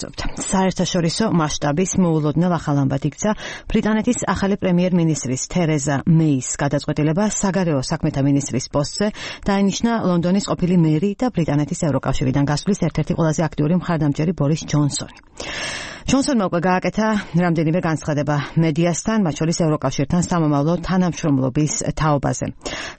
გაგრძობთ. საერთაშორისო მასშტაბის მოულოდნელ ახალ ამბად იქცა ბრიტანეთის ახალი პრემიერ-მინისტრის თერეზა მეის გადაწყვეტილება საგარეო საქმეთა მინისტრის პოსტზე დაინიშნა ლონდონის ყოფილი მერი და ბრიტანეთის ევროკავშირიდან გასვლის ერთ-ერთი ყველაზე აქტიური მხარდამჭერი ბორის ჯონსონი. ჯონსონმა უკვე გააკეთა რამდენიმე განცხადება მედიასთან, მათ შორის ევროკავშირთან სამომავლო თანამშრომლობის თაობაზე.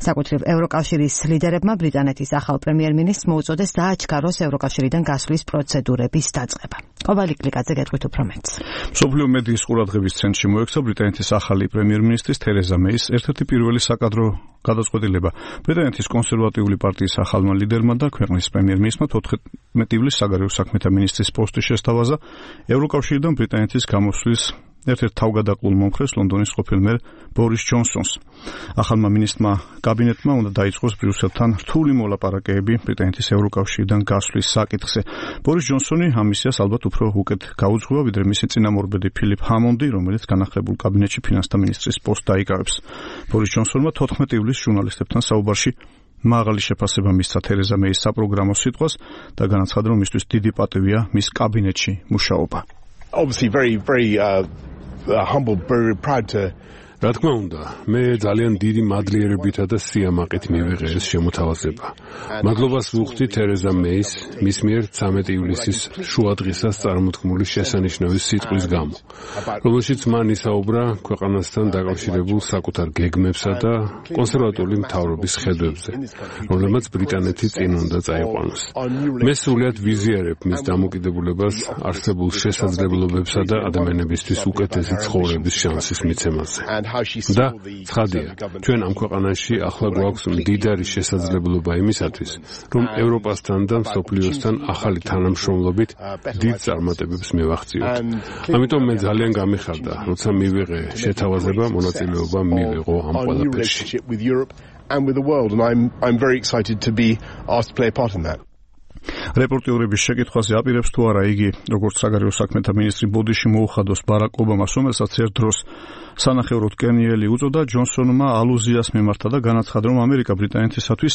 საკუთრივ ევროკავშირის ლიდერებმა ბრიტანეთის ახალ პრემიერ-მინისტრს მოუწოდეს დააჩქაროს ევროკავშირიდან გასვლის პროცედურების დაწყება. ყოფილი კლიკაძე გეტყვით უფრო მეტს. მსოფლიო მედიის ყურადღების ცენტრში მოექცა ბრიტანეთის ახალი პრემიერ-მინისტრის თერეზა მეის ერთ-ერთი პირველი საკადრო გადაწყვეტილება. ბრიტანეთის კონსერვატიული პარტიის ახალმა ლიდერმა და ქვეყნის პრემიერ-მინისტრმა 14 ივლისს საგარეო საქმეთა მინისტრის პოსტი შესთავაზა ევროკავშირიდან ბრიტანეთის გამოსვლის ერთ-ერთ თავგადაყრულ მომხრეს ლონდონის ყოფილ მერ ბორის ჯონსონს. ახალმა მინისტრმა კაბინეტმა უნდა დაიწყოს ბრიუსელთან რთული მოლაპარაკებები ბრიტანეთის ევროკავშირიდან გასვლის საკითხზე. ბორის ჯონსონი ამ მისიას ალბათ უფრო უკეთ გაუძღვება, ვიდრე მისი წინამორბედი ფილიპ ჰამონდი, რომელიც განახლებულ კაბინეტში ფინანსთა მინისტრის პოსტს დაიკავებს. ბორის ჯონსონმა 14 ივლისს ჟურნალისტებთან საუბარში მაღალი შეფასება მისცა თერეზა მეის საპროგრამო სიტყვას და განაცხადა, რომ მისთვის დიდი პატივია მის კაბინეტში მუშაობა. Obviously very humble, very proud to. რა თქმა უნდა, მე ძალიან დიდი მადლიერებითა და სიამაყით მივიღე ეს შემოთავაზება. მადლობას ვუხდი თერეზა მეის, მის მიერ 13 ივლისის შუადღისას წარმოთქმული შესანიშნავი სიტყვის გამო, რომელშიც მან ისაუბრა ქვეყანასთან დაკავშირებულ საკუთარ გეგმებსა და კონსერვატიული მთავრობის ხედვებზე, რომლებმაც ბრიტანეთი წინ უნდა წაიყვანოს. მე სრულად ვიზიარებ მის დამოკიდებულებას არსებულ შესაძლებლობებსა და ადამიანებისთვის უკეთესი ცხოვრების შანსის მიცემაზე. და ცხადია, ჩვენ ამ ქვეყანაში ახლა გვაქვს მდიდარი შესაძლებლობა იმისათვის, რომ ევროპასთან და მსოფლიოსთან ახალი თანამშრომლობით დიდ წარმატებებს მივაღწიოთ. ამიტომ მე ძალიან გამიხარდა, როცა მივიღე შეთავაზება მონაწილეობა მივიღო ამ ყველაფერში. რეპორტიორების შეკითხვაზე აპირებს თუ არა იგი, როგორც საგარეო საქმეთა მინისტრი ბოდიში მოუხადოს ბარაკ ობამას, რომელსაც ერთ დროს სანახევროდ კენიელი უწოდა, ჯონსონმა ალუზიას მიმართა და განაცხადა, რომ ამერიკა ბრიტანეთისათვის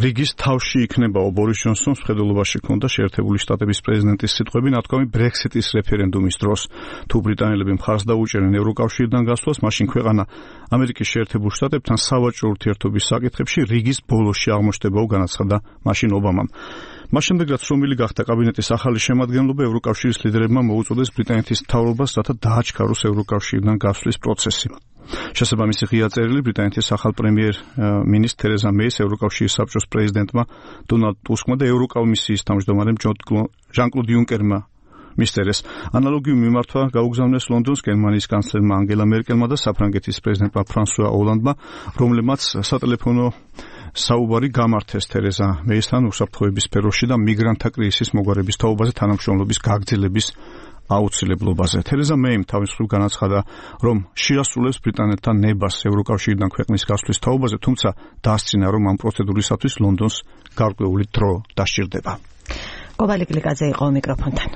რიგის თავში იქნებაო. ბორის ჯონსონს მხედველობაში ჰქონდა შეერთებული შტატების პრეზიდენტის სიტყვები ნათქვამი ბრექსიტის რეფერენდუმის დროს. თუ ბრიტანელები მხარს დაუჭერენ ევროკავშირიდან გასვლას, მაშინ ქვეყანა ამერიკის შეერთებულ შტატებთან სავაჭრო ურთიერთობის საკითხებში რიგის ბოლოში აღმოჩნდებაო, განაცხადა მაშინ ობამამ. მას შემდეგ, რაც შრომილი გახდა კაბინეტის ახალი შემადგენლობა, ევროკავშირის ლიდერებმა მოუწოდეს ბრიტანეთის მთავრობას, რათა დააჩქაროს ევროკავშირიდან გასვლის პროცესი. შესაბამისი ღია წერილი ბრიტანეთის ახალ პრემიერ-მინისტრ თერეზა მეის ევროკავშირის საბჭოს პრეზიდენტმა დონალდ ტუსკმა და ევროკომისიის თავმჯდომარემ ჟან-კლოდ იუნკერმა მისწერეს. ანალოგიურ მიმართვა გაუგზავნეს ლონდონს გერმანიის კანცლერმა ანგელა მერკელმა და საფრანგეთის პრეზიდენტმა ფრანსუა ოლანდმა, რომლებმაც სატელეფონო საუბარი გამართეს თერეზა მეისთან უსაფრთხოების სფეროში და მიგრანტთა კრიზისის მოგვარების თაობაზე თანამშრომლობის გაგრძელების აუცილებლობაზე. თერეზა მეიმ თავის მხრივ განაცხადა, რომ შეასრულებს ბრიტანეთთან ნებას ევროკავშირიდან ქვეყნის გასვლის თაობაზე, თუმცა დასცინა, რომ ამ პროცედურისათვის ლონდონს გარკვეული დრო დასჭირდება. ყოფილი კლიკაძე იყო მიკროფონთან.